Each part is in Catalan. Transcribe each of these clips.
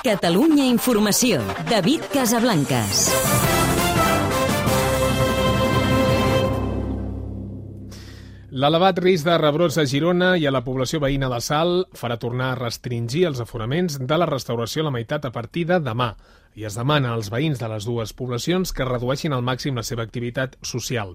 Catalunya Informació. David Casablancas. L'elevat risc de rebrots a Girona i a la població veïna de Salt farà tornar a restringir els aforaments de la restauració a la meitat a partir de demà. I es demana als veïns de les dues poblacions que redueixin al màxim la seva activitat social.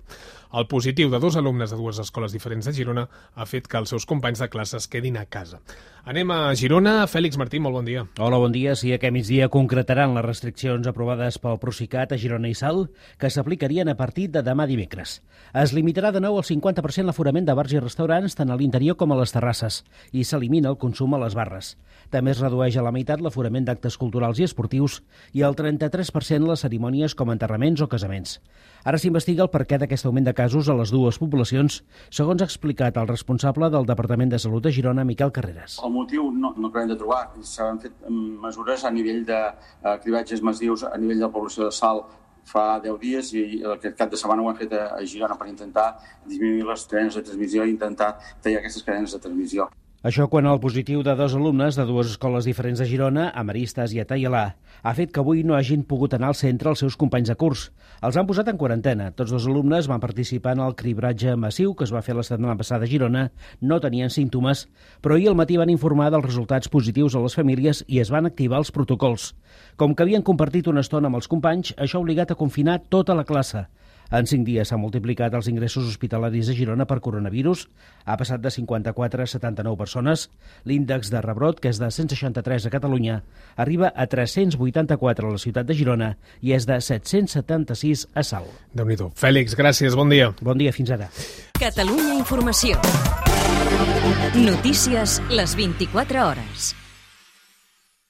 El positiu de 2 alumnes de 2 escoles diferents de Girona ha fet que els seus companys de classe es quedin a casa. Anem a Girona. Fèlix Martí, molt bon dia. Hola, bon dia. Sí, aquest migdia concretaran les restriccions aprovades pel Procicat a Girona i Salt, que s'aplicarien a partir de demà dimecres. Es limitarà de nou al 50% l'aforament de bars i restaurants, tant a l'interior com a les terrasses, i s'elimina el consum a les barres. També es redueix a la meitat l'aforament d'actes culturals i esportius i al 33% les cerimònies com enterraments o casaments. Ara s'investiga el perquè d'aquest augment de casos a les dues poblacions, segons ha explicat el responsable del Departament de Salut de Girona, Miquel Carreras. El motiu no acabem de trobar. S'han fet mesures a nivell de cribatges massius a nivell de la població de Salt fa 10 dies i aquest cap de setmana ho hem fet a Girona per intentar disminuir les cadenes de transmissió i intentar tallar aquestes cadenes de transmissió. Això quan el positiu de 2 alumnes de 2 escoles diferents de Girona, a Maristes i a Taialà, ha fet que avui no hagin pogut anar al centre els seus companys de curs. Els han posat en quarantena. Tots 2 alumnes van participar en el cribratge massiu que es va fer la setmana passada a Girona, no tenien símptomes, però ahir al matí van informar dels resultats positius a les famílies i es van activar els protocols. Com que havien compartit una estona amb els companys, això ha obligat a confinar tota la classe. En 5 dies s'han multiplicat els ingressos hospitalaris a Girona per coronavirus. Ha passat de 54 a 79 persones. L'índex de rebrot, que és de 163 a Catalunya, arriba a 384 a la ciutat de Girona i és de 776 a Salt. Déu-n'hi-do. Fèlix, gràcies. Bon dia. Bon dia, fins ara. Catalunya Informació. Notícies les 24 hores.